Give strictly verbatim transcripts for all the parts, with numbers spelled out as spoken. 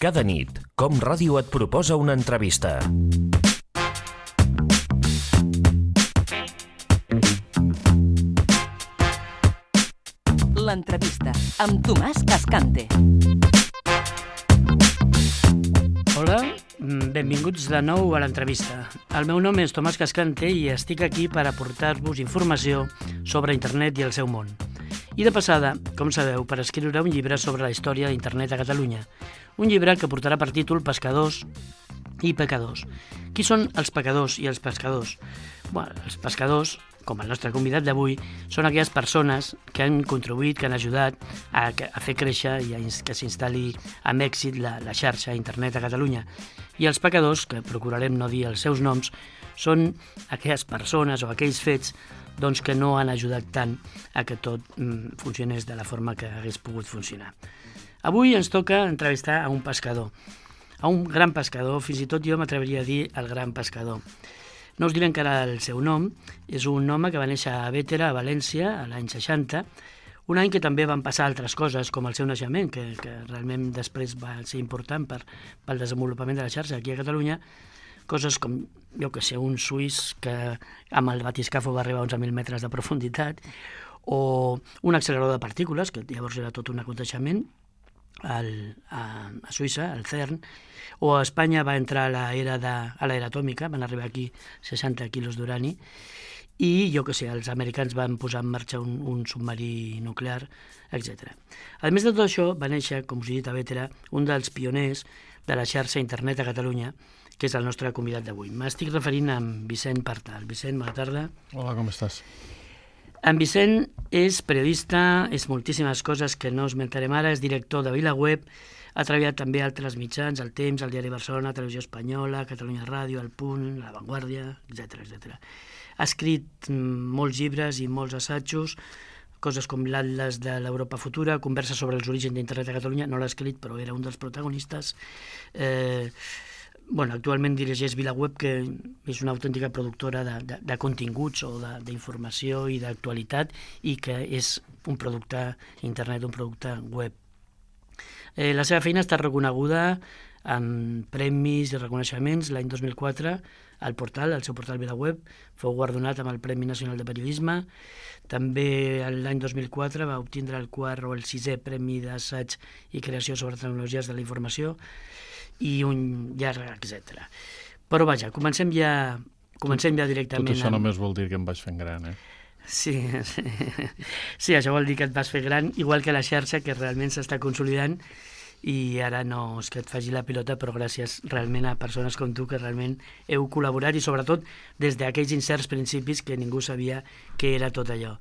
Cada nit, Com Ràdio et proposa una entrevista. L'entrevista amb Tomàs Cascante. Hola, benvinguts de nou a l'entrevista. El meu nom és Tomàs Cascante i estic aquí per aportar-vos informació sobre internet i el seu món. I de passada, com sabeu, per escriure un llibre sobre la història d'internet a Catalunya. Un llibre que portarà per títol Pescadors i Pecadors. Qui són els pecadors i els pescadors? Bé, els pescadors, com el nostre convidat d'avui, són aquelles persones que han contribuït, que han ajudat a, a fer créixer i a que s'instal·li amb èxit la, la xarxa a internet a Catalunya. I els pecadors, que procurarem no dir els seus noms, són aquelles persones o aquells fets doncs, que no han ajudat tant a que tot mm, funcionés de la forma que hagués pogut funcionar. Avui ens toca entrevistar a un pescador, a un gran pescador, fins i tot jo m'atreviria a dir el gran pescador. No us diré encara el seu nom, és un home que va néixer a Bétera, a València, a l'any seixanta, un any que també van passar altres coses, com el seu naixement, que, que realment després va ser important per, pel desenvolupament de la xarxa aquí a Catalunya, coses com, jo que sé, un suís que amb el batiscafo va arribar a onze mil metres de profunditat, o un accelerador de partícules, que llavors era tot un aconteixement, al, a, a Suïssa, al CERN, o a Espanya va entrar a l'era de, a l'era atòmica, van arribar aquí seixanta quilos d'urani, i jo que sé, els americans van posar en marxa un, un submarí nuclear, etcètera. A més de tot això, va néixer, com us he dit a Bétera, un dels pioners de la xarxa internet a Catalunya, que és el nostre convidat d'avui. M'estic referint a en Vicent Partal. Vicent, bona tarda. Hola, com estàs? En Vicent és periodista, és moltíssimes coses que no esmentarem ara, és director de VilaWeb, ha treballat també a altres mitjans, El Temps, el Diari Barcelona, Televisió Espanyola, Catalunya Ràdio, El Punt, La Vanguardia, etcètera, etcètera. Ha escrit molts llibres i molts assajos, coses com l'Atles de l'Europa Futura, conversa sobre els orígens d'internet a Catalunya, no l'ha escrit, però era un dels protagonistes. Eh, bueno, actualment dirigeix VilaWeb, que és una autèntica productora de, de, de continguts o d'informació i d'actualitat, i que és un producte internet, un producte web. Eh, la seva feina està reconeguda amb premis i reconeixements. L'any dos mil quatre, el portal, el seu portal VilaWeb, fou guardonat amb el Premi Nacional de Periodisme. També l'any dos mil quatre va obtindre el quart o el sisè Premi d'Assaig i Creació sobre Tecnologies de la Informació i un llarg, etcètera. Però vaja, comencem ja, comencem ja directament... Tot això amb... només vol dir que em vaig fent gran, eh? Sí, sí, sí, això vol dir que et vas fer gran, igual que la xarxa, que realment s'està consolidant, i ara no és que et faci la pilota, però gràcies realment a persones com tu que realment heu col·laborat, i sobretot des d'aquells incerts principis que ningú sabia què era tot allò.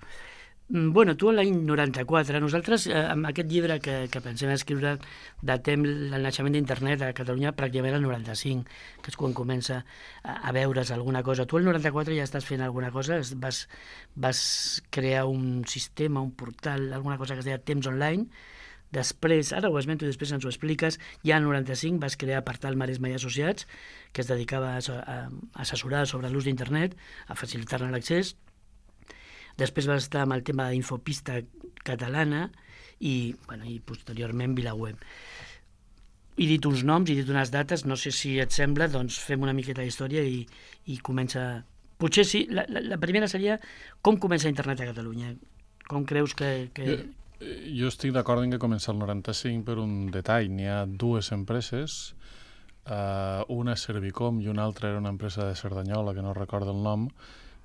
Bueno, tu l'any noranta-quatre, nosaltres eh, amb aquest llibre que, que pensem escriure datem el naixement d'internet a Catalunya pràcticament el noranta-cinc, que és quan comença a, a veure's alguna cosa. Tu el noranta-quatre ja estàs fent alguna cosa, vas, vas crear un sistema, un portal, alguna cosa que es deia Temps Online. Després, ara ho esmento i després ens ho expliques, ja al noranta-cinc vas crear Portal Maresme i Associats, que es dedicava a, a assessorar sobre l'ús d'internet, a facilitar-ne l'accés. Després va estar amb el tema d'Infopista Catalana i, bueno, i posteriorment VilaWeb. He dit uns noms, he dit unes dates, no sé si et sembla, doncs fem una miqueta d'història i, i comença... Potser sí, la, la, la primera seria com comença internet a Catalunya. Com creus que... que... Jo, jo estic d'acord en que comença el noranta-cinc per un detall. N'hi ha dues empreses, uh, una és Servicom i una altra era una empresa de Cerdanyola, que no recordo el nom,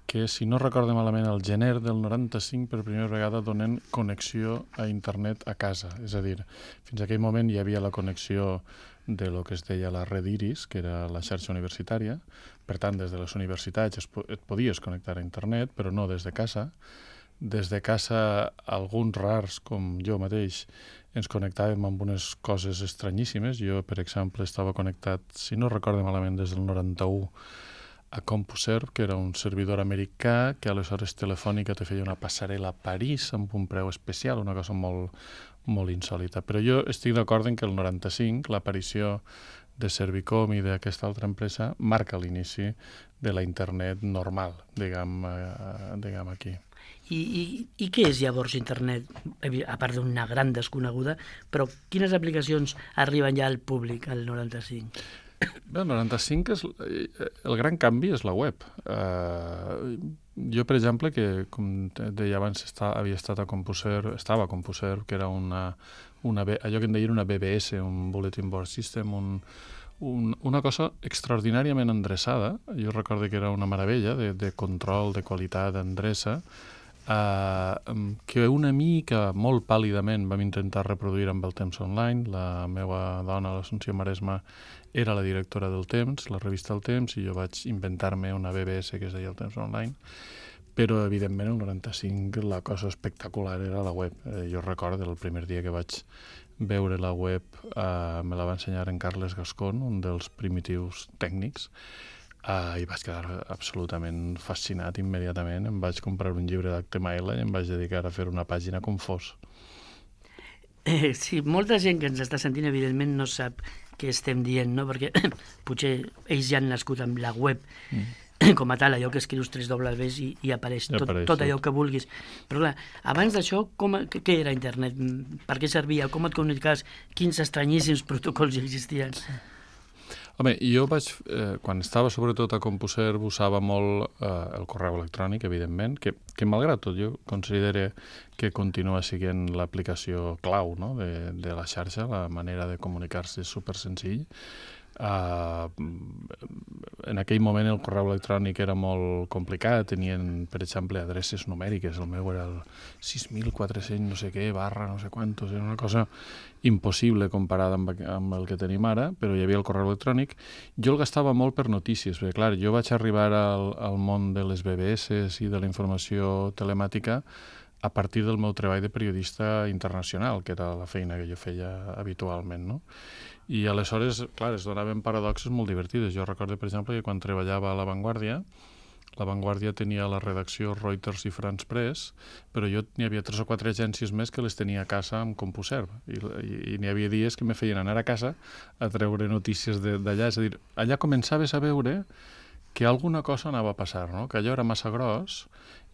que, si no recordo malament, al gener del noranta-cinc per primera vegada donen connexió a internet a casa. És a dir, fins a aquell moment hi havia la connexió de lo que es deia la red Iris, que era la xarxa universitària. Per tant, des de les universitats es po et podies connectar a internet, però no des de casa. Des de casa, alguns rars, com jo mateix, ens connectàvem amb unes coses estranyíssimes. Jo, per exemple, estava connectat, si no recordo malament, des del noranta-u, a CompuServe, que era un servidor americà que aleshores Telefònica te feia una passarel·la a París amb un preu especial, una cosa molt, molt insòlita. Però jo estic d'acord en que el noranta-cinc, l'aparició de Servicom i d'aquesta altra empresa marca l'inici de la internet normal, diguem, eh, diguem aquí. I, i, I què és llavors internet, a part d'una gran desconeguda, però quines aplicacions arriben ja al públic al noranta-cinc? Bé, el noranta-cinc, és, el gran canvi és la web. Uh, jo, per exemple, que com deia abans, està, havia estat a CompuServe, estava a CompuServe, que era una, una, allò que en deien una B B S, un Bulletin Board System, un, un, una cosa extraordinàriament endreçada. Jo recordo que era una meravella de, de control, de qualitat, d'endreça, Uh, que una mica, molt pàl·lidament, vam intentar reproduir amb el Temps Online. La meva dona, l'Assumpció Maresma, era la directora del Temps, la revista El Temps, i jo vaig inventar-me una B B S que es deia el Temps Online. Però, evidentment, el noranta-cinc la cosa espectacular era la web. Eh, jo recordo el primer dia que vaig veure la web, uh, me la va ensenyar en Carles Gascon, un dels primitius tècnics, Uh, i vaig quedar absolutament fascinat immediatament. Em vaig comprar un llibre d'H T M L i em vaig dedicar a fer una pàgina com fos. Eh, sí, molta gent que ens està sentint, evidentment, no sap què estem dient, no? Perquè potser ells ja han nascut amb la web mm. com a tal, allò que escrius tres dobles i, i apareix, tot, apareix tot allò que vulguis. Però clar, abans d'això, com, què era internet? Per què servia? Com et comunicaves? Quins estranyíssims protocols existien? Sí. Home, jo vaig, eh, quan estava sobretot a CompuServe, usava molt eh, el correu electrònic, evidentment, que, que malgrat tot jo considero que continua sent l'aplicació clau, no?, de, de la xarxa, la manera de comunicar-se és super senzill. Uh, en aquell moment el correu electrònic era molt complicat, tenien, per exemple, adreces numèriques, el meu era el sis mil quatre-cents no sé què, barra no sé quantos, era una cosa impossible comparada amb, amb el que tenim ara, però hi havia el correu electrònic. Jo el gastava molt per notícies, perquè clar, jo vaig arribar al, al món de les B B S i de la informació telemàtica a partir del meu treball de periodista internacional, que era la feina que jo feia habitualment, no? I aleshores, clar, es donaven paradoxes molt divertides. Jo recordo, per exemple, que quan treballava a La Vanguardia, La Vanguardia tenia la redacció Reuters i France Press, però jo n'hi havia tres o quatre agències més que les tenia a casa amb CompuServe. I, i, i n'hi havia dies que me feien anar a casa a treure notícies d'allà. És a dir, allà començaves a veure que alguna cosa anava a passar, no? Que allò era massa gros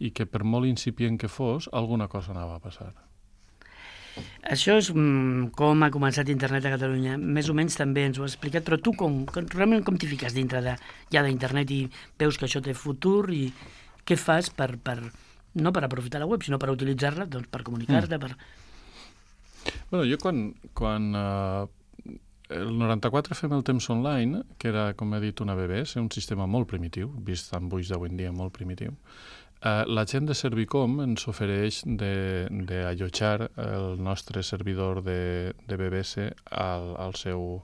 i que per molt incipient que fos, alguna cosa anava a passar. Això és mm, com ha començat internet a Catalunya. Més o menys també ens ho has explicat, però tu com, com, realment com t'hi fiques dintre de, ja d'internet i veus que això té futur i què fas per, per no per aprofitar la web, sinó per utilitzar-la, doncs per comunicar-te, per... Bueno, jo quan, quan uh, el noranta-quatre fem el Temps Online, que era, com he dit, una B B S, un sistema molt primitiu, vist amb ulls d'avui en dia, molt primitiu. Uh, la gent de Servicom ens ofereix d'allotjar el nostre servidor de, de B B S al, al seu,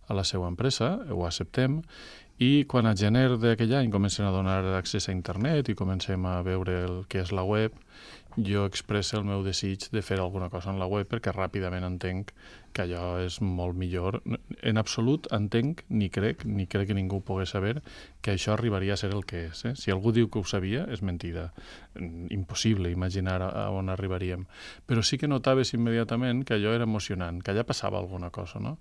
a la seva empresa, ho acceptem, i quan a gener d'aquell any comencem a donar accés a internet i comencem a veure el que és la web, jo expresso el meu desig de fer alguna cosa en la web perquè ràpidament entenc que allò és molt millor. En absolut entenc, ni crec, ni crec que ningú pogués saber que això arribaria a ser el que és. Eh? Si algú diu que ho sabia, és mentida. Impossible imaginar a on arribaríem. Però sí que notaves immediatament que allò era emocionant, que allà passava alguna cosa, no?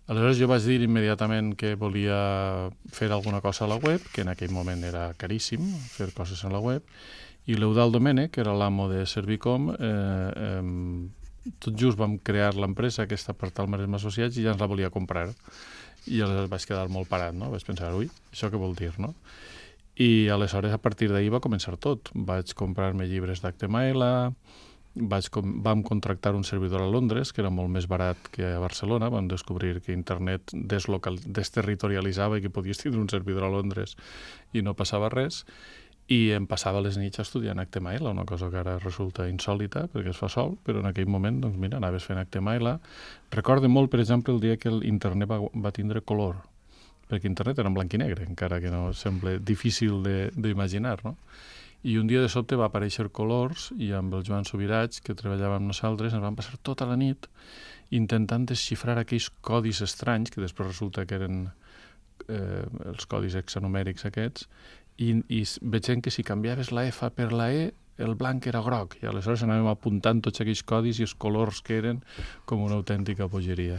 Aleshores jo vaig dir immediatament que volia fer alguna cosa a la web, que en aquell moment era caríssim fer coses a la web, i l'Eudald Domènech, que era l'amo de Servicom, eh, eh, tot just vam crear l'empresa aquesta per tal Maresma Associats i ja ens la volia comprar. I aleshores vaig quedar molt parat, no? Vaig pensar, ui, això què vol dir, no? I aleshores a partir d'ahir va començar tot. Vaig comprar-me llibres d'H T M L, vaig com, vam contractar un servidor a Londres, que era molt més barat que a Barcelona. Vam descobrir que internet deslocal, desterritorialitzava i que podies tindre un servidor a Londres i no passava res. I em passava les nits estudiant H T M L, una cosa que ara resulta insòlita perquè es fa sol, però en aquell moment, doncs mira, anaves fent H T M L. Recordo molt, per exemple, el dia que l'internet va, va tindre color, perquè internet era en blanc i negre, encara que no sembla difícil d'imaginar, no? I un dia de sobte va aparèixer colors i amb el Joan Subirats, que treballava amb nosaltres, ens vam passar tota la nit intentant desxifrar aquells codis estranys, que després resulta que eren eh, els codis hexanumèrics aquests, i, i veiem que si canviaves la F per la E, el blanc era groc, i aleshores anàvem apuntant tots aquells codis i els colors que eren com una autèntica bogeria.